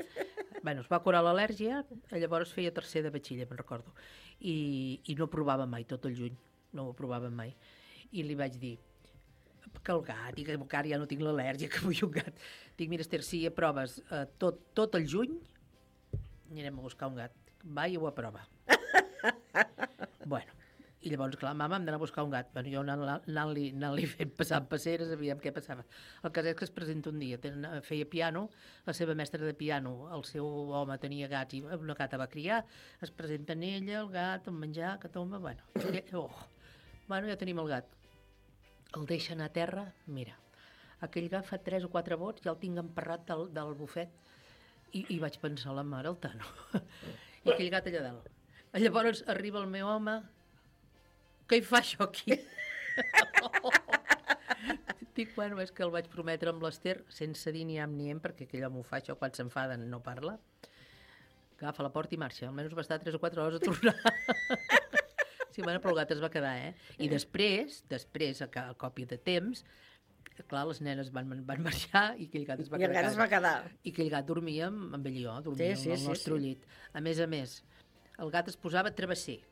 Bueno, es va curar l'al·lèrgia, llavors feia tercer de batxilla, me'n recordo. I, I no provava mai, tot el juny, no ho provava mai. I li vaig dir, que el gat, i que encara ja no tinc l'al·lèrgia, que vull un gat. Dic, mira, Ester, si aproves eh, tot, tot el juny, anirem a buscar un gat. Va i ho aprova. Bueno, i llavors, clar, mama, hem d'anar a buscar un gat. Bueno, jo anant-li anant anant fent passar passeres, sabíem què passava. El cas és que es presenta un dia, ten, feia piano, la seva mestra de piano, el seu home tenia gats i una gata va criar, es presenta en ella, el gat, el menjar, que tomba, bueno. Oh. Bueno, ja tenim el gat. El deixen a terra, mira, aquell gat fa tres o quatre vots, ja el tinc emparrat del, del bufet, i, i vaig pensar, la mare, el Tano. I aquell gat allà dalt. Llavors arriba el meu home, què hi fa això aquí? Dic, bueno, és que el vaig prometre amb l'Ester, sense dir ni am ni em, perquè aquell home ho fa això, quan s'enfaden no parla, agafa la porta i marxa, almenys va estar tres o quatre hores a tornar. Sí, bueno, però el gat es va quedar, eh? I després, després, a, a còpia de temps, clar, les nenes van, van marxar i aquell gat es va I quedar. I el gat es va quedar. I aquell gat dormia amb, amb ell i jo, dormia sí, sí, al nostre sí, sí. llit. A més a més, el gat es posava travesser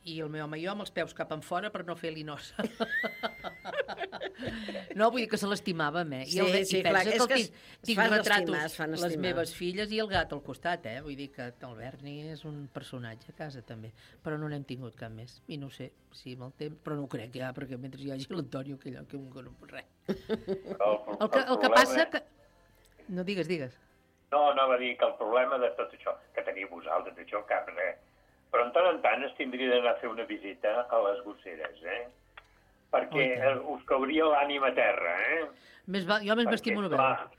i el meu home i jo amb els peus cap en fora per no fer-li nosa. No, vull dir que se l'estimàvem, eh? I, el, sí, sí, i pensa clar, que, és que tinc, tinc retratos, estimar, les meves filles i el gat al costat, eh? Vull dir que el Berni és un personatge a casa també, però no n'hem tingut cap més. I no sé si amb el temps, però no ho crec ja, perquè mentre hi hagi l'Antonio, que allò que un que no pot res. El, el, que, el que passa que... No, digues, digues. No, anava a dir que el problema de tot això, que teniu vosaltres, això cap res, però en tant en tant es tindria d'anar a fer una visita a les gosseres, eh? Perquè oh, us cauria l'ànima a terra, eh? Més va, jo més m'estimo no veure.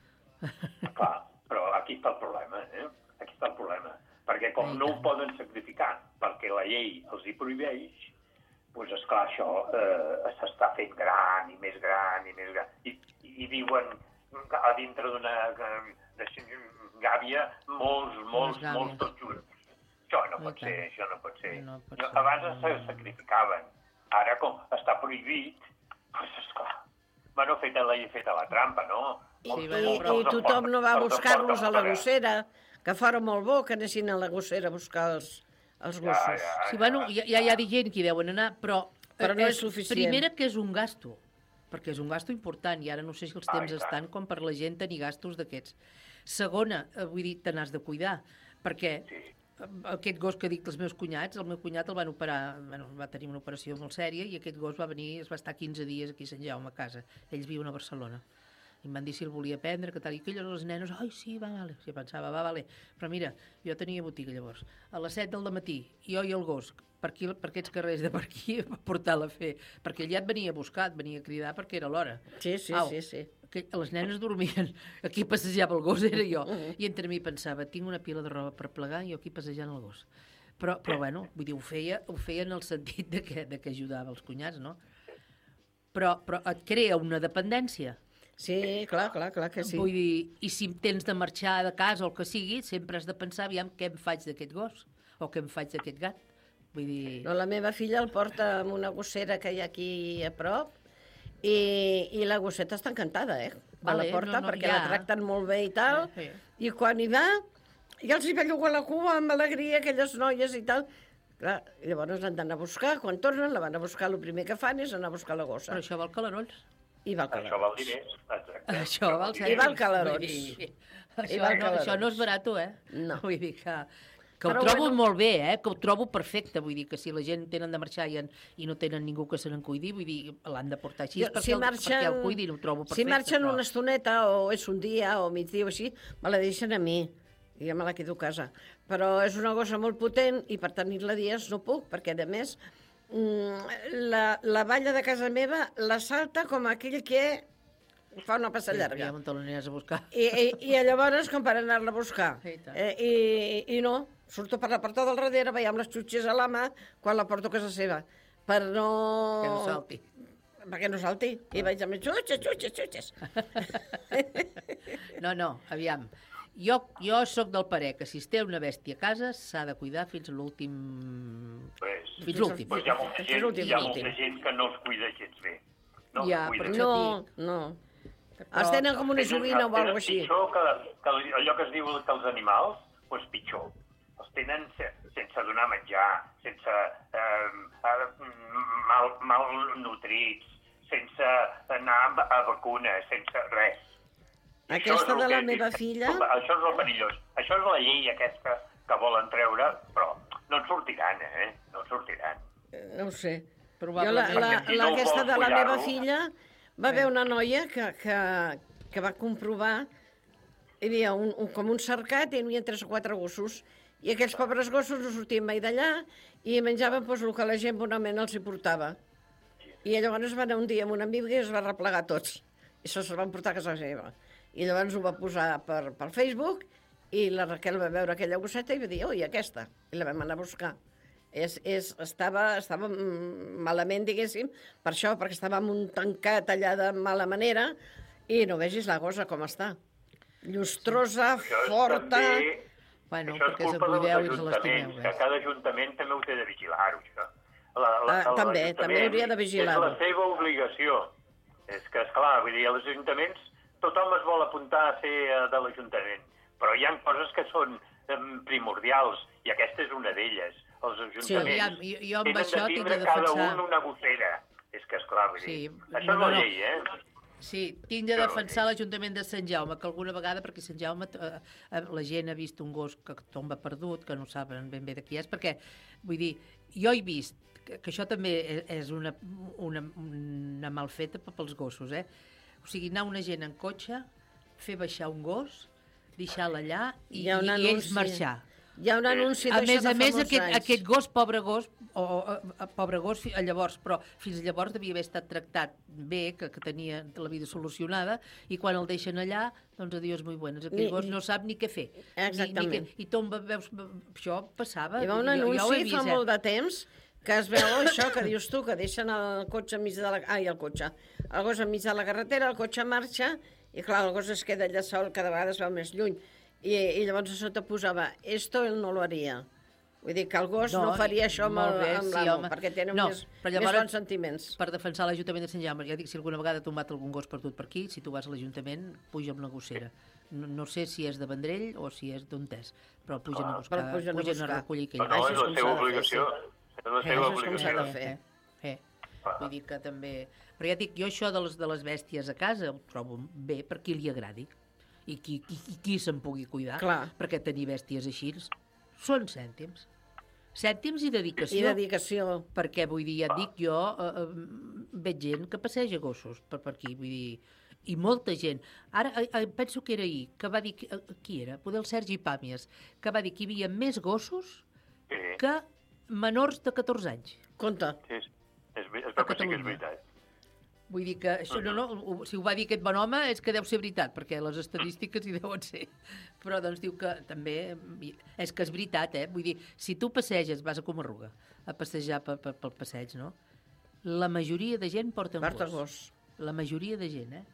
Clar, però aquí està el problema, eh? Aquí està el problema. Perquè com Ai, no tant. Ho poden sacrificar, perquè la llei els hi prohibeix, doncs esclar, això eh, s'està fent gran i més gran i més gran. I, i viuen a dintre d'una gàbia molts, molts, molts torxures. Això no pot ser, això no pot ser. No pot ser. Abans se sacrificaven. Ara, com està prohibit, doncs esclar, bueno, feta la, feta la trampa, no? I, i, i tothom no va a buscar-los a la gossera, que fora molt bo que anessin a la gossera a buscar els, els gossos. Ja, ja, ja, sí, bueno, ja, ja hi ha gent que hi deuen anar, però, però no és suficient. Primera que és un gasto, perquè és un gasto important, i ara no sé si els temps Ai, estan com per la gent tenir gastos d'aquests. Segona, vull dir, te n'has de cuidar, perquè... Sí. Aquest gos que dic dels meus cunyats, el meu cunyat el van operar, bueno, va tenir una operació molt sèria i aquest gos va venir, es va estar quinze dies aquí a Sant Jaume a casa. Ells viuen a Barcelona. I em van dir si el volia prendre, que tal, i aquelles les nenes, ai, sí, va, vale. Jo pensava, va, vale. Però mira, jo tenia botiga llavors. A les set del matí, jo i el gos, per, aquí, per aquests carrers de per aquí, va portar-la a fer. Perquè ell ja et venia a buscar, et venia a cridar perquè era l'hora. Sí, sí, Au, sí, sí. Que les nenes dormien, aquí passejava el gos, era jo, i entre mi pensava, tinc una pila de roba per plegar i jo aquí passejant el gos. Però, però bueno, vull dir, ho feia, ho feia en el sentit de que, de que ajudava els cunyats, no? Però, però et crea una dependència. Sí, clar, clar, clar que sí. Vull dir, i si tens de marxar de casa o el que sigui, sempre has de pensar, aviam, què em faig d'aquest gos o què em faig d'aquest gat. Vull dir... No, la meva filla el porta amb una gossera que hi ha aquí a prop i, i la gosseta està encantada, eh? Va Vale, a la porta no, no, perquè ja. la tracten molt bé i tal, Sí, i quan hi va, ja els hi belluga la cua amb alegria, aquelles noies i tal. Clar, llavors l'han d'anar a buscar, quan tornen la van a buscar, el primer que fan és anar a buscar la gossa. Però això val calarons. I val Això val diners, exacte. Això val I val calarons. Vull dir, I Això, val no, això calarons. no és barat, eh? No. Vull dir que... Que ho Però trobo bueno. molt bé, eh? Que ho trobo perfecte. Vull dir que si la gent tenen de marxar i, en, i no tenen ningú que se n'en cuidi, vull dir, l'han de portar així Jo, perquè, si el, marxen, perquè el cuidin, ho trobo perfecte. si marxen però... una estoneta, o és un dia, o migdia, o així, me la deixen a mi, i ja me la quedo a casa. Però és una gossa molt potent, i per tenir-la dies no puc, perquè, a més, la, la valla de casa meva la salta com aquell que fa una passa llarga. Ja on te l'aniries a buscar. I, i, I llavors, com per anar-la a buscar. I tant. Eh, i, I no, surto per la porta del darrere, veiem les xutxes a la mà, quan la porto a casa seva, per no... Que no salti. Perquè no salti. I vaig amb xutxes, xutxes, xutxes. No, no, aviam. Jo, jo sóc del parer que si es té una bèstia a casa s'ha de cuidar fins a l'últim... Pues, Fins l'últim. Pues hi ha molta gent, l'últim, hi ha l'últim. molta gent que no els cuida gens bé. No Ja, els cuida. però No, no. Els tenen com una Tenen- joguina o els tenen alguna així. pitjor que, que allò que es diu que els animals, doncs pitjor. Els tenen se, sense donar menjar, sense eh, eh, mal, mal nutrits, sense anar a, a vacunes, sense res. I això Aquesta és el de la que- meva filla... Això és el perillós. Això és la llei aquesta que volen treure, però no en sortiran, eh? No en sortiran. No ho sé. Jo, la, Probablement. la, Perquè si la, no aquesta vols de la meva cuidar-lo- filla va haver una noia que, que, que va comprovar hi havia un, un, com un cercat i hi havia tres o quatre gossos i aquells pobres gossos no sortien mai d'allà i menjaven doncs, el que la gent bonament els hi portava. I llavors va anar un dia amb una amiga i es va replegar tots. I se'ls van portar a casa seva. I llavors ho va posar per, per Facebook i la Raquel va veure aquella gosseta i va dir, oi, aquesta. I la vam anar a buscar. És, és, estava, estava malament, diguéssim, per això, perquè estava en un tancat allà de mala manera i no vegis la gossa com està. Llustrosa, Això és forta... també... Bueno, Això és perquè se culpa dels cuideu i se ajuntaments, l'estimeu. que cada ajuntament també ho té de vigilar-ho, això. La, la, Ah, també, l'Ajuntament també hauria de vigilar-ho. És la seva obligació. És que, esclar, vull dir, als ajuntaments tothom es vol apuntar a ser eh, de l'Ajuntament, però hi ha coses que són eh, primordials, i aquesta és una d'elles. Els ajuntaments aviam, jo- jo amb tenen això de tinc tindre de cada defensar- un una gossera. És que, esclar, vull dir, Sí, això no, és no, la no. llei, eh? Sí, tinc de defensar l'Ajuntament de Sant Jaume, que alguna vegada, perquè Sant Jaume, eh, eh, la gent ha vist un gos que tomba perdut, que no saben ben bé de qui és, perquè, vull dir, jo he vist que, que això també és una, una, una malfeta pels gossos, eh? O sigui, anar una gent en cotxe, fer baixar un gos, deixar-la allà i, Hi ha un i ells anunci. marxar. Hi ha un anunci A d'això més de a fa més, molts aquest, anys. aquest gos, pobre gos, o, o, o pobre gos, fi- llavors, però fins llavors devia haver estat tractat bé, que, que tenia la vida solucionada, i quan el deixen allà, doncs adiós muy buenas. Aquell Ni- gos no sap ni què fer. Exactament. Ni, ni què, I tomba, veus, això passava. Hi va un jo, jo ho he anunci vist, fa eh? molt de temps que es veu això que dius tu, que deixen el cotxe enmig de la... Ai, el cotxe. El gos enmig de la carretera, el cotxe marxa, i clar, el gos es queda allà sol, cada vegada es veu més lluny. I, i llavors a sota posava, esto él no lo haría. Vull dir que el gos no, No, no faria això amb, molt el- bé, amb sí, l'amo, home. perquè tenen No, més, però més llavors- bons sentiments. Per defensar l'Ajuntament de Sant Jaume, ja dic, si alguna vegada ha tombat algun gos perdut per aquí, si tu vas a l'Ajuntament, puja amb la gossera. No, no sé si és de Vendrell o si és d'on és, però pugen Clar, a buscar, però pugen a pugen a buscar. recollir aquell No, no, Això és és la com seva s'ha de fer, obligació. És la seva Això és com s'ha obligació. de fer. Eh, eh. Vull dir que també... Però ja dic, jo això de les, de les bèsties a casa ho trobo bé per qui li agradi i qui, qui, qui, qui se'n pugui cuidar, Clar. perquè tenir bèsties així són cèntims. Cèntims i dedicació. I dedicació. Perquè, vull dir, ja et dic, jo eh, eh, veig gent que passeja gossos per, per aquí, vull dir, i molta gent. Ara, eh, eh, penso que era ahir, que va dir, que, eh, qui era? Poder el Sergi Pàmies, que va dir que hi havia més gossos Sí, que menors de catorze anys. Compte. sí, és, és, ve- es veu que sí que és veritat. Vull dir que això, no, no, ho- si ho va dir aquest bon home és que deu ser veritat, perquè les estadístiques hi deuen ser. Però doncs diu que també, és que és veritat, eh? Vull dir, si tu passeges, vas a Comarruga, a passejar pel, pel, pel passeig, no? La majoria de gent porta un Porta gos. gos. La majoria de gent, eh?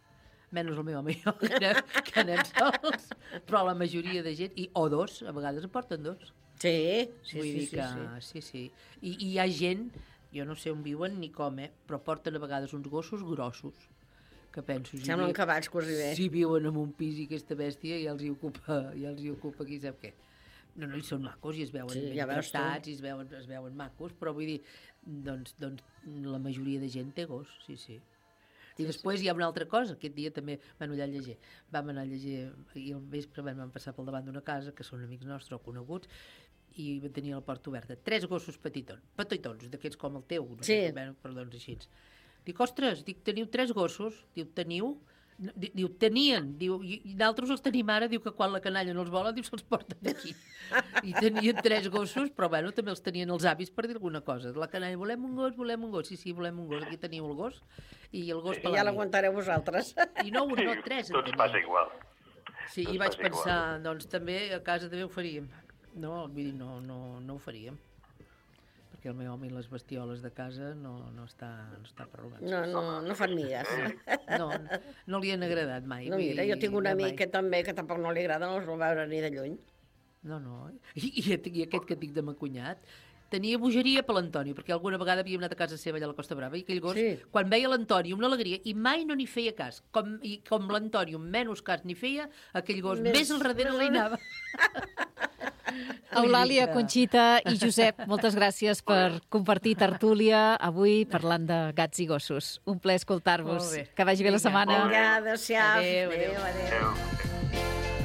Menys el meu home i jo, que anem, que anem sols, però la majoria de gent, i, o dos, a vegades en porten dos. Sí, sí, Vull sí, dir sí, que, sí. sí, sí. I, I hi ha gent jo no sé on viuen ni com, eh? Però porten a vegades uns gossos grossos, que penso... Si semblen cavalls, quasi bé. Si viuen en un pis i aquesta bèstia ja els hi ocupa, ja els hi ocupa qui sap què. No, no, i són macos, i es veuen Sí, ben ja veus tu. tractats, i es veuen, es veuen macos, però vull dir, doncs, doncs la majoria de gent té gos, sí, sí. I després hi ha una altra cosa, aquest dia també vam anar a llegir, vam anar a llegir, i al vespre vam passar pel davant d'una casa, que són amics nostres o coneguts, i tenia la porta oberta. Tres gossos petitons, petitons, d'aquests com el teu, no Sí. sé, bueno, perdó, així. Dic, ostres, dic, teniu tres gossos? Diu, teniu? Di- Diu, tenien, diu, i i d'altres els tenim ara, diu que quan la canalla no els vola, diu, se'ls porten aquí. I tenien tres gossos, però bueno, també els tenien els avis per dir alguna cosa. La canalla, volem un gos, volem un gos. Sí, sí, volem un gos, aquí teniu el gos. I el gos I per ja la nit. l'aguantareu vosaltres. I no un, no tres en Tots passa tenien. igual. Sí, i vaig pensar, doncs també a casa també ho faríem. No, vull dir, no, no, no ho faríem. Perquè el meu home i les bestioles de casa no, no està, no està per robar. No, no, no fan migues. No, no li han agradat mai. No, vull mira, dir, jo tinc un no amic mai. que també, que tampoc no li agrada, no els vol veure ni de lluny. No, no. I, i, i aquest que et dic de mon cunyat tenia bogeria per l'Antoni, perquè alguna vegada havíem anat a casa seva allà a la Costa Brava, i aquell gos, Sí. quan veia l'Antoni, una alegria, i mai no n'hi feia cas. Com, i com l'Antoni menys cas n'hi feia, aquell gos més, Més- al darrere li anava. Eulàlia, que- Conxita i Josep, moltes gràcies per compartir tertúlia avui parlant de gats i gossos. Un plaer escoltar-vos. Molt bé. Que vagi bé la Vinga. setmana. Vinga, adéu-siau. Adéu, adéu. adéu.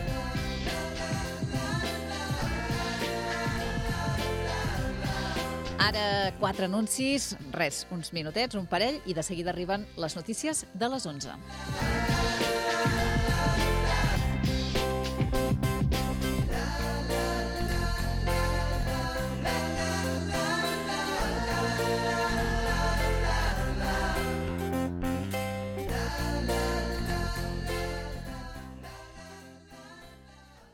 Ara quatre anuncis, res, uns minutets, un parell, i de seguida arriben les notícies de les onze.